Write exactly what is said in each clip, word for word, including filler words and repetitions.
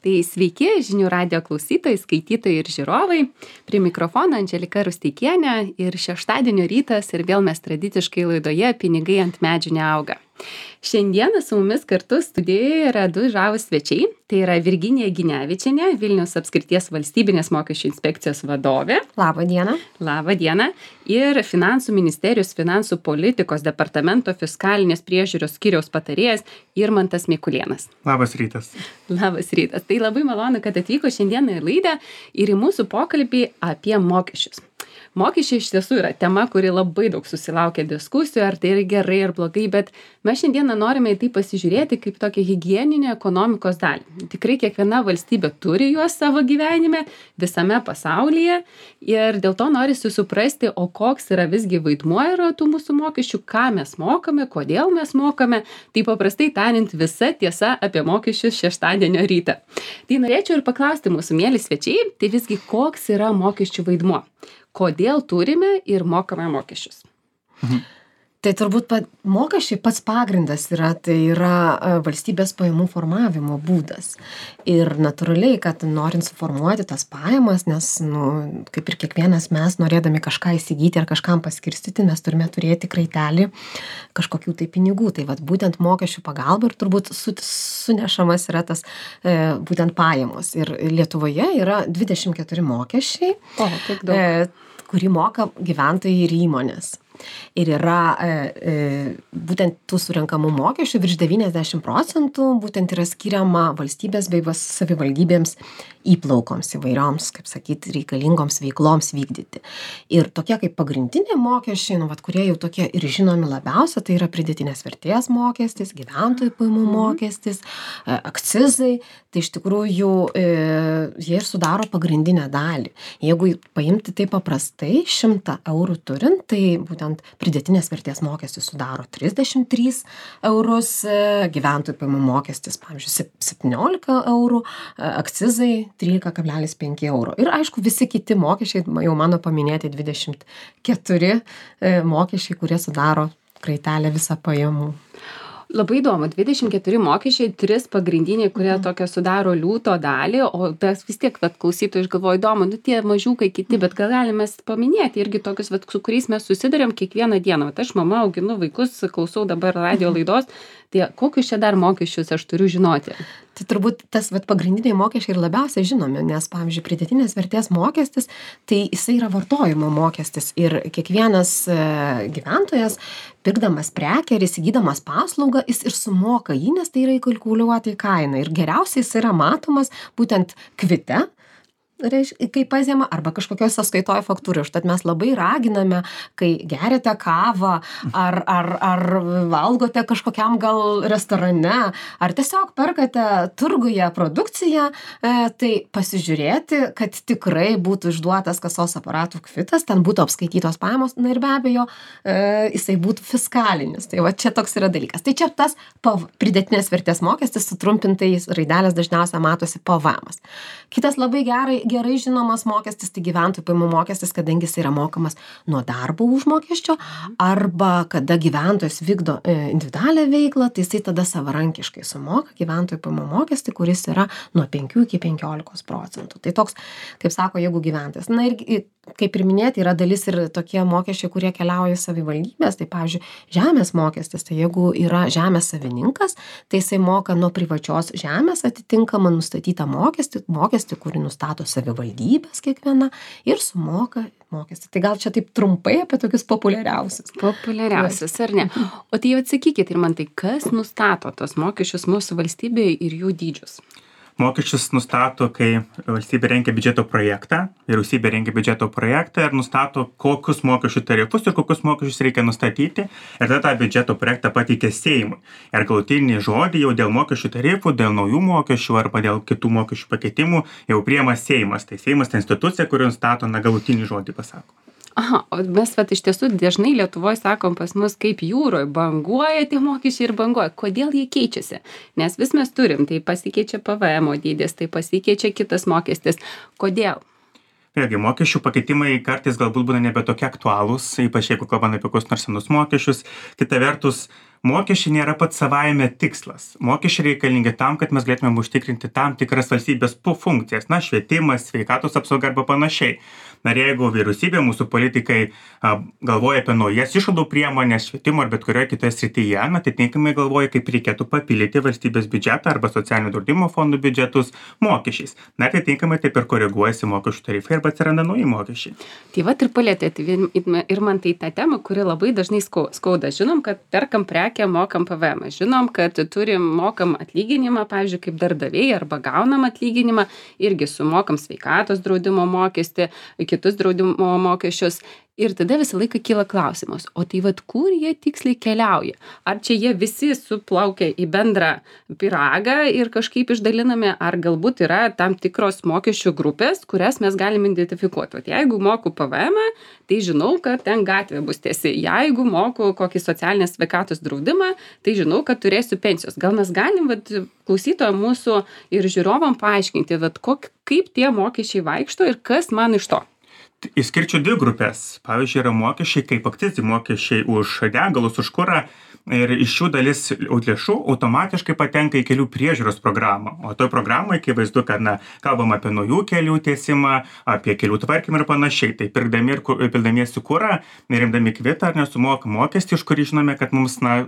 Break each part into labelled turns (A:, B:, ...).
A: Tai sveiki žinių radijo klausytojai, skaitytojai ir žiūrovai. Prie mikrofono Andželika Rusteikienė ir šeštadienio rytas ir vėl mes tradiciškai laidoje Pinigai ant medžių neauga. Šiandieną su mumis kartu studijoje yra du žavūs svečiai. Tai yra Virginija Ginevičienė, Vilniaus apskrities valstybinės mokesčių inspekcijos vadovė.
B: Labą dieną.
A: Labą dieną. Ir Finansų ministerijos finansų politikos departamento fiskalinės priežiūros skyriaus patarėjas Irmantas Mikulėnas.
C: Labas rytas.
A: Labas rytas. Tai labai malonu, kad atvyko šiandieną į laidą ir į mūsų pokalbį apie mokesčius. Mokesčiai iš tiesų yra tema, kuri labai daug susilaukia diskusijų, ar tai yra gerai ar blogai, bet mes šiandieną norime į tai pasižiūrėti kaip tokią higieninę ekonomikos dalį. Tikrai kiekviena valstybė turi juos savo gyvenime, visame pasaulyje ir dėl to norisi suprasti, o koks yra visgi vaidmuo yra tų mūsų mokesčių, ką mes mokame, kodėl mes mokame, tai paprastai tariant visa tiesa apie mokesčius šeštadienio rytą. Tai norėčiau ir paklausti mūsų mieli svečiai, tai visgi koks yra mokesčių vaidmuo? Kodėl turime ir mokame mokesčius?
B: Mhm. Tai turbūt pat, mokesčiai pats pagrindas yra, tai yra valstybės pajamų formavimo būdas. Ir natūraliai, kad norint suformuoti tas pajamas, nes, nu, kaip ir kiekvienas mes, norėdami kažką įsigyti ar kažkam paskirstyti, mes turime turėti kraitelį kažkokių tai pinigų. Tai vat, būtent mokesčių pagalba ir turbūt su, sunešamas yra tas e, būtent pajamos. Ir Lietuvoje yra dvidešimt keturi mokesčiai,
A: o, tiek daug.
B: E, kurį moka gyventojai ir įmonės. Ir yra e, e, būtent tų surenkamų mokesčių virš devyniasdešimt procentų būtent yra skiriama valstybės bei savivaldybėms įplaukoms įvairioms, kaip sakyti, reikalingoms veikloms vykdyti. Ir tokie kaip pagrindiniai mokesčiai, nu, vat, kurie jau tokie ir žinomi labiausia, tai yra pridėtinės vertės mokestis, gyventojų pajamų mokestis, e, akcizai, tai iš tikrųjų e, jie ir sudaro pagrindinę dalį. Jeigu paimti tai paprastai, šimtą eurų turint, tai būtent pridėtinės vertės mokestis sudaro trisdešimt tris eurus, gyventojų pajamų mokestis, pavyzdžiui, septyniolika eurų, akcizai trylika kablelis penki euro. Ir aišku, visi kiti mokesčiai, jau mano paminėti dvidešimt keturi mokesčiai, kurie sudaro kraitelę visą pajamų.
A: Labai įdomu, dvidešimt keturi mokesčiai, tris pagrindiniai, kurie tokia sudaro liūto dalį, o tas vis tiek, vat, klausytojai, aš galvoju, įdomu, nu tie mažiukai kiti, bet gal galime paminėti irgi tokius, vat, su kuriais mes susidurėm kiekvieną dieną. Vat aš mama auginu vaikus, klausau dabar radio laidos, tai kokius čia dar mokesčius aš turiu žinoti?
B: Tai turbūt tas vat, pagrindiniai mokesčiai ir labiausiai žinomi, nes, pavyzdžiui, pridėtinės vertės mokestis, tai jisai yra vartojimo mokestis ir kiekvienas e, gyventojas, pirkdamas prekę ir įsigydamas paslaugą, jis ir sumoka jį, nes tai yra įkalkuliuota į kainą. Ir geriausiai jis yra matomas būtent kvite, reiškia, kai pažema, arba kažkokioj sąskaitoj faktūrai. Užtat mes labai raginame, kai geriate kavą, ar, ar, ar valgote kažkokiam gal restorane, ar tiesiog perkate turguje produkciją, e, tai pasižiūrėti, kad tikrai būtų išduotas kasos aparatų kvitas, ten būtų apskaitytos pajamos, na ir be abejo, e, jisai būtų fiskalinis. Tai va čia toks yra dalykas. Tai čia tas pav, pridėtinės vertės mokestis, sutrumpintais raidelės dažniausiai matosi P V Emas. Kitas labai gerai gerai žinomas mokestis, tai gyventojų pajamų mokestis, kadangi jis yra mokamas nuo darbo užmokesčio, arba kada gyventojas vykdo individualią veiklą, tai jisai tada savarankiškai sumoka gyventojų pajamų mokestį, kuris yra nuo penkių iki penkiolikos procentų. Tai toks, kaip sako, jeigu gyventojas. Na ir kaip ir minėti, yra dalis ir tokie mokesčiai, kurie keliauja į savivaldybės, tai pavyzdžiui, žemės mokestis, tai jeigu yra žemės savininkas, tai jisai moka nuo privačios žemės atitinkamą nustatytą mokestį, mokestį, kurį nustato savivaldybės kiekviena ir sumoka mokestį. Tai gal čia taip trumpai apie tokius populiariausius.
A: Populiariausius, ar ne? O tai jau atsakykit ir man tai, kas nustato tos mokesčius mūsų valstybėje ir jų dydžius?
C: Mokesčius nustato, kai valstybė rengia biudžeto projektą, vyriausybė rengia biudžeto projektą ir nustato, kokius mokesčių tarifus ir kokius mokesčius reikia nustatyti. Ir tada tą biudžeto projektą pateikia Seimui. Ir galutinį žodį jau dėl mokesčių tarifų, dėl naujų mokesčių arba dėl kitų mokesčių pakeitimų jau priima Seimas. Tai Seimas ta institucija, kuri nustato na, galutinį žodį pasako.
A: Aha, o mes vat iš tiesų dažnai Lietuvoje sakom pas mus kaip jūroje banguoja tie mokesčiai ir banguoja. Kodėl jie keičiasi? Nes vis mes turim, tai pasikeičia P V M dydis, tai pasikeičia kitas mokestis. Kodėl?
C: vėlgi mokesčių pakeitimai kartais galbūt būna nebe tokie aktualūs, ypač jeigu kalbame apie kokius nors senus mokesčius. Kita vertus, mokesčiai nėra pats savaime tikslas. Mokesčiai reikalingi tam, kad mes galėtumėm užtikrinti tam tikras valstybės funkcijas, na, švietimas, sveikatos apsauga arba panašiai. Na ir jeigu vyriausybė, mūsų politikai a, galvoja apie naujas išlaidų priemonės švietimo ar bet kurioje kitoje srityje, na, atitinkamai galvoja, kaip reikėtų papildyti valstybės biudžetą arba socialinio draudimo fondų biudžetus mokesčiais. Na, atitinkamai taip ir koreguojasi mokesčių tarifai arba atsiranda nauji mokesčiai.
A: Tai vat ir palėtėte ir man tai tą temą, kuri labai dažnai skauda. Žinom, kad perkam prekę, mokam P V M. Žinom, kad turim mokam atlyginimą, pavyzdžiui, kaip darbdaviai arba gaunam atlyginimą, irgi sumokam sveikatos draudimo mokestį, kitus draudimo mokesčius. Ir tada visą laiką kyla klausimas, o tai vat kur jie tiksliai keliauja? Ar čia jie visi suplaukia į bendrą pyragą ir kažkaip išdalinami, ar galbūt yra tam tikros mokesčių grupės, kurias mes galim identifikuoti. Vat jeigu moku P V M, tai žinau, kad ten gatvė bus tiesi. Jeigu moku kokį socialinės sveikatos draudimą, tai žinau, kad turėsiu pensijos. Gal mes galim vat klausytojam mūsų ir žiūrovam paaiškinti, vat kok, kaip tie mokesčiai vaikšto ir kas man iš to?
C: Išskirčiau dvi grupės. Pavyzdžiui, yra mokesčiai kaip akcizai mokesčiai už degalus, už kurą. Ir iš šių dalis lėšų automatiškai patenka į kelių priežiūros programą. O toj programai, kai vaizdu, kad na, kalbam apie naujų kelių tiesimą, apie kelių tvarkymą ir panašiai. Tai pirkdami ir pildamiesi kurą, nerimdami kvitą ar nesumoka mokestį, iš kurį žinome, kad mums na,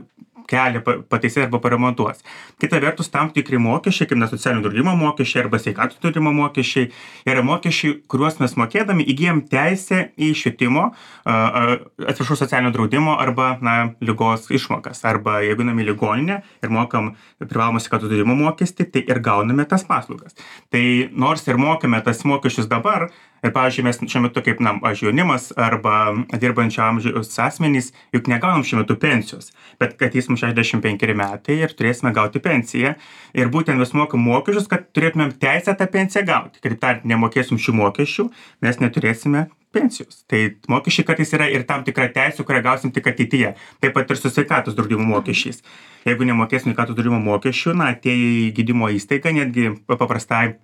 C: kelią pataisės arba paremontuos. Kita vertus, tam tikri mokesčiai, kaip socialinio draudimo mokesčiai arba sveikatos draudimo mokesčiai, yra mokesčiai, kuriuos mes mokėdami įgyjam teisę į švietimo, atsiprašau, socialinio draudimo arba na, ligos išmokas. Arba jeigu einame į ligoninę ir mokam privalomą sveikatos draudimo mokestį, tai ir gauname tas paslaugas. Tai nors ir mokame tas mokesčius dabar, ir, pavyzdžiui, mes šiuo metu kaip, na, aš jaunimas arba dirbančio amžiaus asmenys, juk negaunam šiuo metu pensijos, bet kad jis mums šešiasdešimt penkeri metai ir turėsime gauti pensiją. Ir būtent mes mokam mokesčius, kad turėtumėm teisę tą pensiją gauti. Kitaip tariant, nemokėsim šių mokesčių, mes neturėsime pensijos. Tai mokesčiai kartais yra ir tam tikra teisė, kurią gausim tik ateityje. Taip pat ir su sveikatos draudimo mokesčiais. Jeigu nemokėsim sveikatos draudimo mokesčių, na, atėję į gydymo įstaigą, netgi paprastai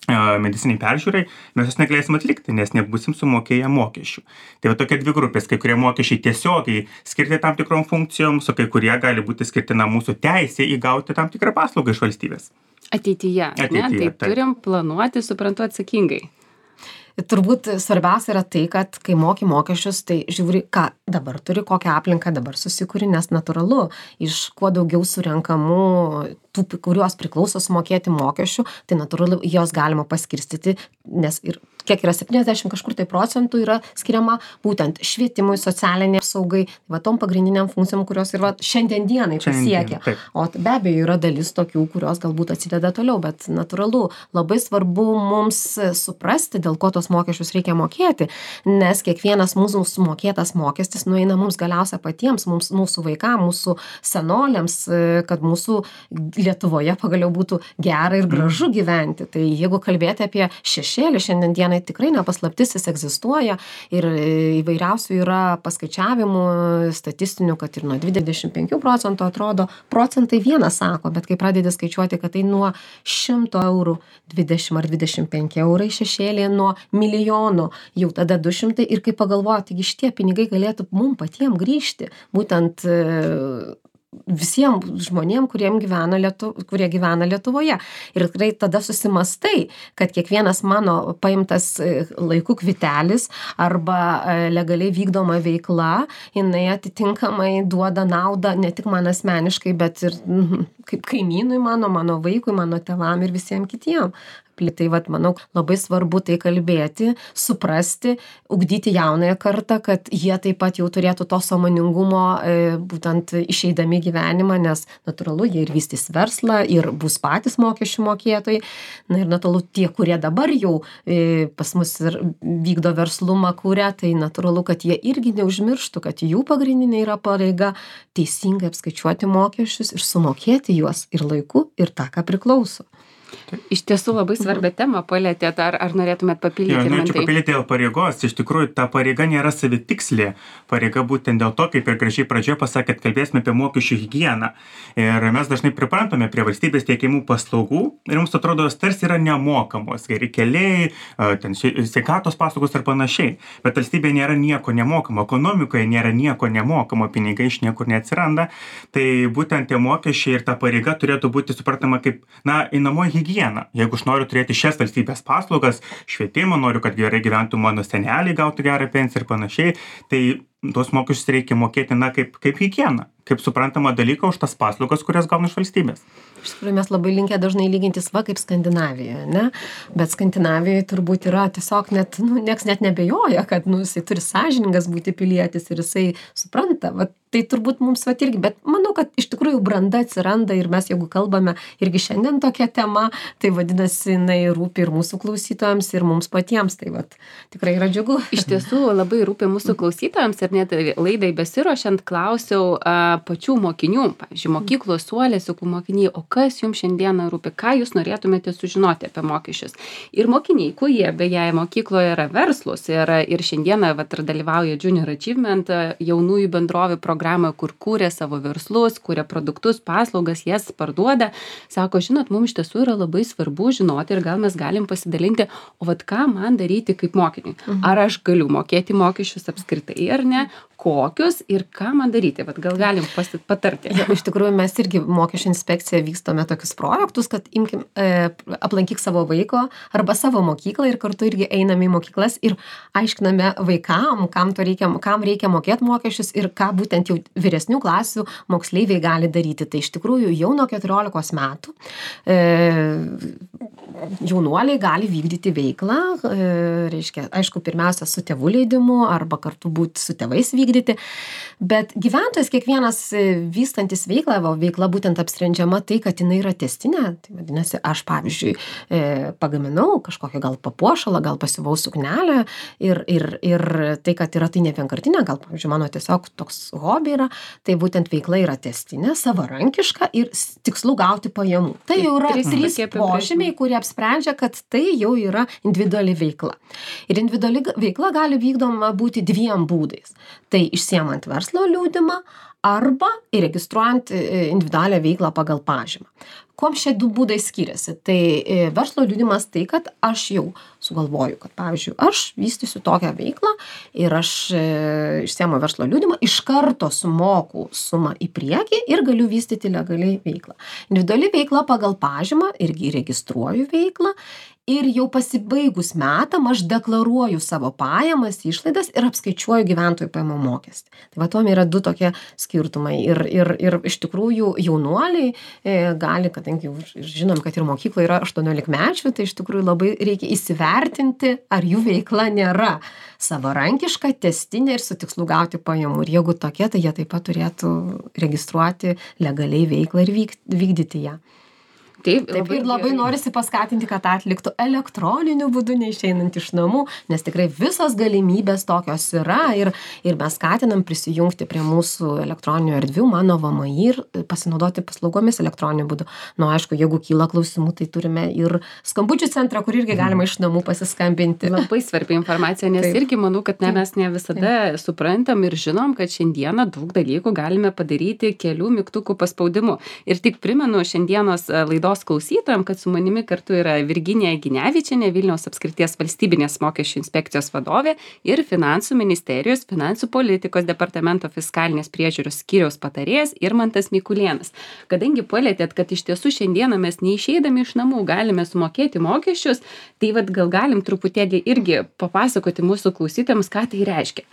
C: mediciniai peržiūrai, mes jos negalėsim atlikti, nes nebūsim sumokėję mokesčių. Tai va tokie dvi grupės, kai kurie mokesčiai tiesiogiai skirti tam tikrom funkcijoms, o kai kurie gali būti skirti na, mūsų teisė įgauti tam tikrą paslaugą iš valstybės.
A: Ateityje, Ateityje ne? Tai taip. Turim planuoti, suprantu, atsakingai.
B: Turbūt svarbiausia yra tai, kad kai moki mokesčius, tai žiūri, ką dabar turi, kokią aplinką dabar susikuri, nes natūralu, iš kuo daugiau surenkamų tų, kuriuos priklauso sumokėti mokesčių, tai natūralu, jos galima paskirstyti, nes ir kiek yra septyniasdešimt kažkur tai procentų yra skiriama būtent švietimui, socialiniai apsaugai, va tom pagrindiniam funkcijom, kurios ir va šiandien dienai pasiekia. O be abejo yra dalis tokių, kurios galbūt atsideda toliau, bet natūralu, labai svarbu mums suprasti, dėl ko tos mokesčius reikia mokėti, nes kiekvienas mūsų sumokėtas mokestis nueina mums galiausia patiems, mums, mūsų vaikams, mūsų senoliams, kad mūsų Lietuvoje pagaliau būtų gera ir gražu gyventi. Tai jeigu kalbėti apie šešėlį, šiandien dienai tikrai nepaslaptis, jis egzistuoja ir įvairiausių yra paskaičiavimų statistinių, kad ir nuo dvidešimt penkių procentų atrodo, procentai vieną sako, bet kai pradedi skaičiuoti, kad tai nuo šimto eurų dvidešimt ar dvidešimt penki eurai šešėlė nuo milijonų, jau tada du šimtai ir kai pagalvoju, taigi šitie pinigai galėtų mum patiem grįžti, būtent visiems žmonėm, kuriem gyvena Lietu, kurie gyvena Lietuvoje. Ir tikrai tada susimastai, kad kiekvienas mano paimtas laiku kvitelis arba legaliai vykdoma veikla, jinai atitinkamai duoda naudą ne tik man asmeniškai, bet ir kaip kaimynui mano, mano vaikui, mano tėvam ir visiems kitiem. Tai vat, manau, labai svarbu tai kalbėti, suprasti, ugdyti jaunąją kartą, kad jie taip pat jau turėtų to sąmoningumo e, būtent išeidami gyvenimą, nes natūralu, jie ir vystys verslą ir bus patys mokesčių mokėtojai. Na ir natūralu, tie, kurie dabar jau e, pas mus ir vykdo verslumą, kuria, tai natūralu, kad jie irgi neužmirštų, kad jų pagrindinė yra pareiga teisingai apskaičiuoti mokesčius ir sumokėti juos ir laiku, ir tą, ką priklauso.
A: Iš tiesų labai svarbią temą palietėt, ar, ar norėtumėt papildyti?
C: Jo, norėčiau
A: Irmantai?
C: papildyti dėl pareigos. Iš tikrųjų, ta pareiga nėra savitikslė. Pareiga būtent dėl to, kaip ir gražiai pradžioje pasakėt, kalbėsime apie mokesčių higieną. Ir mes dažnai priprantame prie valstybės teikiamų paslaugų ir mums atrodo, jos tarsi yra nemokamos. Geri keliai, ten sveikatos paslaugos ir panašiai. Bet valstybė nėra nieko nemokamo. Ekonomikoje nėra nieko nemokamo. Pinigai iš niekur neatsiranda. Tai būtent tie mokesčiai ir ta pareiga turėtų būti suprantama kaip, na, einamoji higiena. Jeigu aš noriu turėti šias valstybės paslaugas, švietimą, noriu, kad gerai gyventų mano seneliai, gautų gerą pensiją ir panašiai, tai tuos mokesčius reikia mokėti, na, kaip, kaip higieną, kaip suprantama dalyką už tas paslaugas, kurias gauna iš valstybės.
B: Iš tikrųjų, mes labai linkę dažnai lygintis va kaip Skandinavijoje, ne? Bet Skandinavijoje turbūt yra tiesiog net, nu, nieks net nebejoja, kad, nu, jisai turi sąžiningas būti pilietis ir jisai supranta, va, tai turbūt mums va irgi, bet manau, kad iš tikrųjų branda atsiranda ir mes, jeigu kalbame irgi šiandien tokia tema, tai vadinasi, jinai rūpi ir mūsų klausytojams, ir mums patiems, tai va, tikrai yra džiugu.
A: Iš tiesų labai rūpi mūsų klausytojams ir net laidai besiruošiant klausiau a, pačių mokinių, pavyzdžiui, mokyklos suolėsiukų mokiniai, o kas jums šiandieną rūpi, ką jūs norėtumėte sužinoti apie mokesčius. Ir mokiniai, kurie beje mokykloje yra verslus ir, ir šiandieną vat, ir dalyvauja Junior Achievement jaunųjų bendrovių programoje, kur kūrė savo verslus, kūrė produktus, paslaugas, jas parduoda, sako, žinot, mums iš tiesų yra labai svarbu žinoti ir gal mes galim pasidalinti, o vat ką man daryti kaip mokiniui. Ar aš galiu mokėti mokesčius apskritai ar ne, kokius ir ką man daryti, vat gal galim pasi- patarti.
B: Ja, iš tikrųjų, mes irgi mokesčių inspekcija vystome tokius projektus, kad imkim, e, aplankyk savo vaiko arba savo mokyklą ir kartu irgi einame į mokyklas ir aiškiname vaikam, kam, to reikia, kam reikia mokėti mokesčius ir ką būtent jau vyresnių klasių moksleiviai gali daryti. Tai iš tikrųjų jau nuo keturiolikos metų e, jaunuoliai gali vykdyti veiklą, e, reiškia, aišku, pirmiausia su tėvų leidimu arba kartu būti su tėvais vykdyti, bet gyventojas kiekvienas vystantis veiklą, va, veikla būtent apsprendžiama tai, kad jinai yra testinė, tai vadinasi, aš pavyzdžiui e, pagaminau kažkokią gal papuošalą, gal pasiuvau suknelę ir, ir, ir tai, kad yra tai ne vienkartinė, gal pavyzdžiui mano tiesiog toks hobi yra, tai būtent veikla yra testinė, savarankiška ir tikslu gauti pajamų. Tai jau yra
A: Trys
B: trys
A: tokie apibrėžimai.
B: požymiai, kurie apsprendžia, kad tai jau yra individuali veikla. Ir individuali veikla gali vykdoma būti dviem būdais. Tai išsiemant verslo liudimą arba įregistruojant individualią veiklą pagal pažymą. Kuom šie du būdai skiriasi? Tai verslo liudimas tai, kad aš jau sugalvoju, kad pavyzdžiui, aš vystysiu tokią veiklą ir aš išsiemu verslo liudimą, iš karto sumoku sumą į priekį ir galiu vystyti legaliai veiklą. Individuali veikla pagal pažymą, irgi registruoju veiklą ir jau pasibaigus metam aš deklaruoju savo pajamas, išlaidas ir apskaičiuoju gyventojų pajamų mokestį. Tai va, tuom yra du tokie skirtumai. Ir, ir, ir iš tikrųjų jaunuoliai e, gali, kadangi jau žinom, kad ir mokykloje yra aštuoniolikmečių, tai iš tikrųjų labai reikia įsivertinti, ar jų veikla nėra savarankiška, testinė ir su tikslu gauti pajamų. Ir jeigu tokia, tai jie taip pat turėtų registruoti legaliai veiklą ir vyk, vykdyti ją.
A: Taip,
B: Taip ir labai
A: gerai.
B: norisi paskatinti, kad tą atliktų elektroniniu būdu, neišeinant iš namų, nes tikrai visos galimybės tokios yra ir, ir mes skatinam prisijungti prie mūsų elektroninių erdvių, mano V M I ir pasinaudoti paslaugomis elektroniniu būdu. Nu, aišku, jeigu kyla klausimų, tai turime ir skambučių centrą, kur irgi galima iš namų pasiskambinti.
A: Labai svarbi informacija, nes
B: Taip.
A: irgi manau, kad ne, mes ne visada suprantam ir žinom, kad šiandieną daug dalykų galime padaryti kelių mygtukų paspaudimu. Ir tik primenu šiandienos laidos klausytojams, kad su manimi kartu yra Virginija Ginevičienė, Vilniaus apskrities valstybinės mokesčių inspekcijos vadovė ir Finansų ministerijos finansų politikos departamento fiskalinės priežiūros skyriaus patarėjas Irmantas Mikulėnas. Kadangi palietėt, kad iš tiesų šiandieną mes neišeidami iš namų galime sumokėti mokesčius, tai vad gal galim truputėlį irgi papasakoti mūsų klausytojams, ką tai reiškia.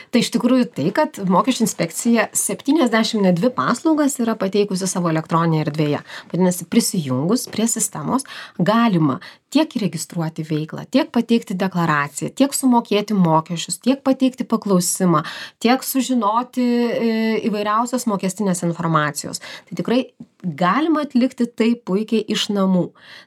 B: Tai iš tikrųjų tai, kad mokesčių inspekcija septyniasdešimt dvi paslaugas yra pateikusi savo elektroninėje erdvėje. Vadinasi, prisijungus prie sistemos galima tiek įregistruoti veiklą, tiek pateikti deklaraciją, tiek sumokėti mokesčius, tiek pateikti paklausimą, tiek sužinoti įvairiausios mokestinės informacijos. Tai tikrai galima atlikti tai puikiai iš namų.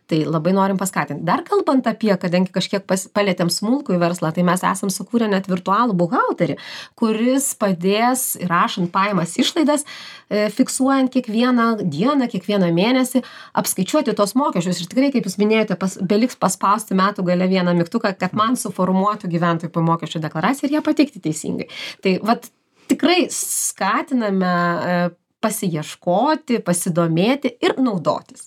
B: Tai labai norim paskatinti. Dar kalbant apie, kadangi kažkiek pas, palėtėm smulkų verslą, tai mes esam sukūrę net virtualų buhalterį, kuris padės įrašant pajamas išlaidas, e, fiksuojant kiekvieną dieną, kiekvieną mėnesį, apskaičiuoti tos mokesčius. Ir tikrai, kaip jūs minėjote, pas, beliks paspausti metų gale vieną mygtuką, kad man suformuotų gyventojų pajamų mokesčio deklaraciją ir ją pateikti teisingai. Tai vat tikrai skatiname e, pasiieškoti, pasidomėti ir naudotis.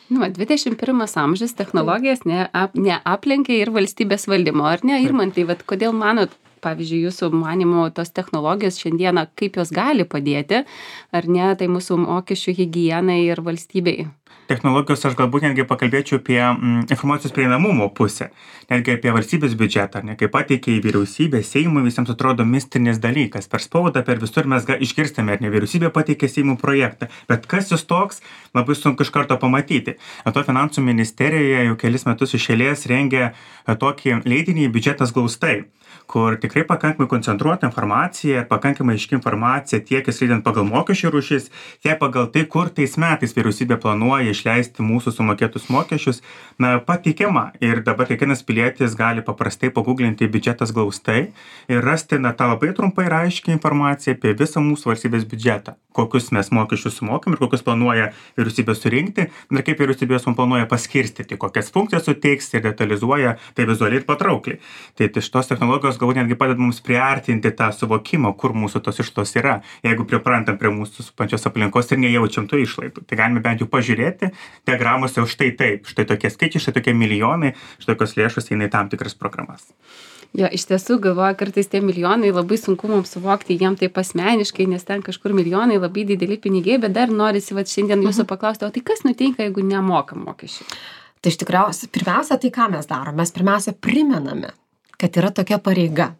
A: Nu, dvidešimt pirmas amžius technologijas neap, neaplenkia ir valstybės valdymo, ar ne? Irmantai, vat, kodėl manot, pavyzdžiui, jūsų manimo tos technologijos šiandieną, kaip jos gali padėti, ar ne, tai mūsų mokesčių higienai ir valstybei?
C: Technologijos aš galbūt netgi pakalbėčiau apie mm, informacijos prieinamumo pusę, netgi apie valstybės biudžetą, ne, kaip pateikia į vyriausybę, Seimui visiems atrodo mistinis dalykas, per spaudą, per visur mes ga, išgirstame, ar ne, vyriausybė pateikė Seimų projektą, bet kas jis toks, labai sunku iš karto pamatyti. To finansų ministerijoje jau kelis metus iš eilės rengia tokį leidinį biudžetas glaustai, kur tikrai pakankamai koncentruota informacija ir pakankamai aiški informacija tiek įskaitant pagal mokesčių rūšis, tiek pagal tai, kur tais metais vyriausybė planuoja išleisti mūsų sumokėtus mokesčius, na, pateikiama. Ir dabar kiekvienas pilietis gali paprastai paguglinti biudžetas glaustai ir rasti, na, tą labai trumpai ir aiškiai informaciją apie visą mūsų valstybės biudžetą, kokius mes mokesčius sumokam ir kokius planuoja vyriausybė surinkti ir kaip vyriausybė juos planuoja paskirstyti, kokias funkcijas suteiks ir detalizuoja tai vizualiai ir patraukliai. Tai, tai šitos technologijos galbūt netgi padeda mums priartinti tą suvokimą, kur mūsų tos išlaidos yra, jeigu priprantam prie mūsų supančios aplinkos ir nejaučiam tų išlaidų. Tai galime bent jau pažiūrėti diagramose, štai taip, štai tokie skaičiai, štai tokie milijonai, štai tokios lėšos eina į tam tikras programas.
A: Jo, iš tiesų galvoju, kartais tie milijonai labai sunku mums suvokti, jiem taip asmeniškai, nes ten kažkur milijonai labai dideli pinigai, bet dar norisi vat, šiandien jūsų paklausti, o tai kas nutinka, jeigu nemokam mokesčių?
B: Tai iš tikriausiai, pirmiausia, tai ką mes darom? Mes pirmiausia primename, kad yra tokia pareiga.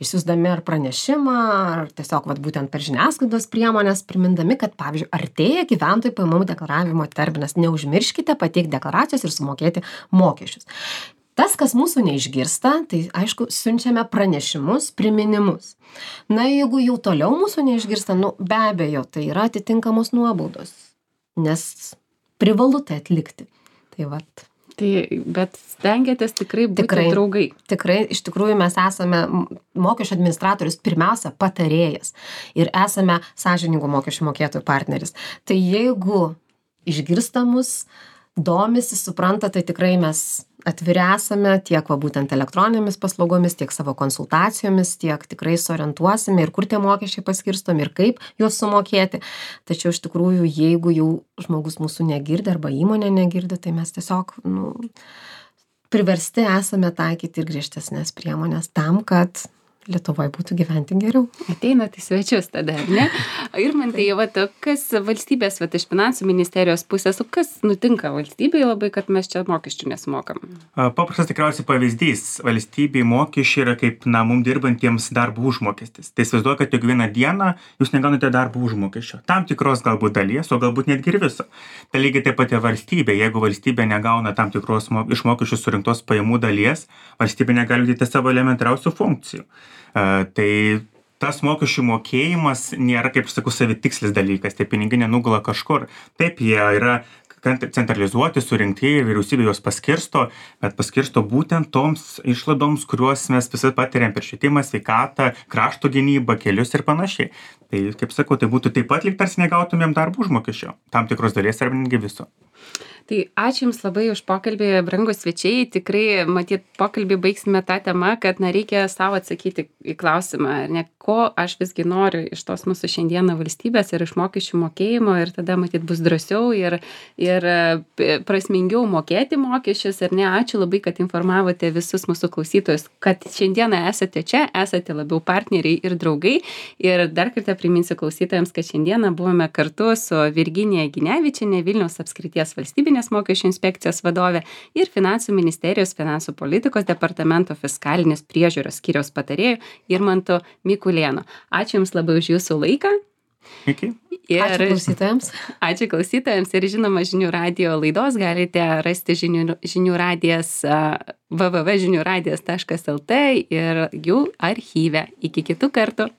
B: Išsiųsdami ar pranešimą, ar tiesiog vat, būtent per žiniasklaidos priemonės, primindami, kad, pavyzdžiui, artėja gyventojų pajamų deklaravimo terminas. Neužmirškite pateikti deklaracijos ir sumokėti mokesčius. Tas, kas mūsų neišgirsta, tai aišku, siunčiame pranešimus, priminimus. Na, jeigu jau toliau mūsų neišgirsta, nu, be abejo, tai yra atitinkamos nuobaudos, nes privalu tai atlikti. Tai vat.
A: Tai, bet stengiatės tikrai būti
B: tikrai,
A: draugai.
B: Tikrai, iš tikrųjų mes esame mokesčių administratorius, pirmiausia, patarėjas ir esame sąžiningų mokesčių mokėtojų partneris. Tai jeigu išgirsta mus, domisi, supranta, tai tikrai mes atviri esame tiek va, būtent elektroninėmis paslaugomis, tiek savo konsultacijomis, tiek tikrai sorientuosime ir kur tie mokesčiai paskirstomi ir kaip juos sumokėti. Tačiau iš tikrųjų, jeigu jau žmogus mūsų negirdi arba įmonė negirdi, tai mes tiesiog nu, priversti esame taikyti ir griežtesnės priemonės tam, kad Lietuvoje būtų gyventi geriau.
A: Ateinat į svečius tada, ar ne? Irmantai, vat, kas valstybės, vat, iš finansų ministerijos pusės, kas nutinka valstybėje labai, kad mes čia mokesčių nesumokam?
C: Paprastas tikriausiai pavyzdys. Valstybėje mokesčiai yra kaip, na, mums dirbantiems darbo užmokestis. Tai įsivaizduoju, kad kiekvieną dieną jūs negaunate darbo užmokesčio. Tam tikros galbūt dalies, o galbūt netgi ir viso. Tai lygiai taip pat ir valstybė. Jeigu valstybė negauna tam tikros iš mokesčių surinktos pajamų dalies, valstybė negali vykdyti savo elementariausių funkcijų. Uh, tai tas mokesčių mokėjimas nėra, kaip sakau, savitikslis dalykas, tai pinigai nenugula kažkur. Taip, jie yra centralizuoti, surinkti, vyriausybė juos paskirsto, bet paskirsto būtent toms išlaidoms, kuriuos mes visi patiriam per švietimą, sveikatą, krašto gynybą, kelius ir panašiai. Tai, kaip sakau, tai būtų taip pat lyg tarsi negautumėm darbo užmokesčio, tam tikros dalies arba netgi viso.
A: Tai ačiū Jums labai už pokalbį, brangūs svečiai. Tikrai, matyt, pokalbį baigsime tą temą, kad na, reikia savo atsakyti į klausimą, ne, ko aš visgi noriu iš tos mūsų šiandieną valstybės ir iš mokesčių mokėjimo ir tada, matyt, bus drąsiau ir, ir prasmingiau mokėti mokesčius. Ir ne, ačiū labai, kad informavote visus mūsų klausytojus, kad šiandieną esate čia, esate labiau partneriai ir draugai. Ir dar kartą priminsiu klausytojams, kad šiandieną buvome kartu su Virginija Ginevičienė, Vilniaus apskrities valstybinės mokesčių inspekcijos vadovė ir Finansų ministerijos finansų politikos departamento fiskalinės priežiūros skyriaus patarėju Irmantu Mikulėnu. Ačiū Jums labai už Jūsų laiką.
C: Iki.
B: Ir, ačiū klausytojams.
A: Ačiū klausytojams ir žinoma žinių radijo laidos galite rasti žinių, žinių radijas w w w taškas žinių radijas taškas l t ir jų archyve. Iki kitų kartų.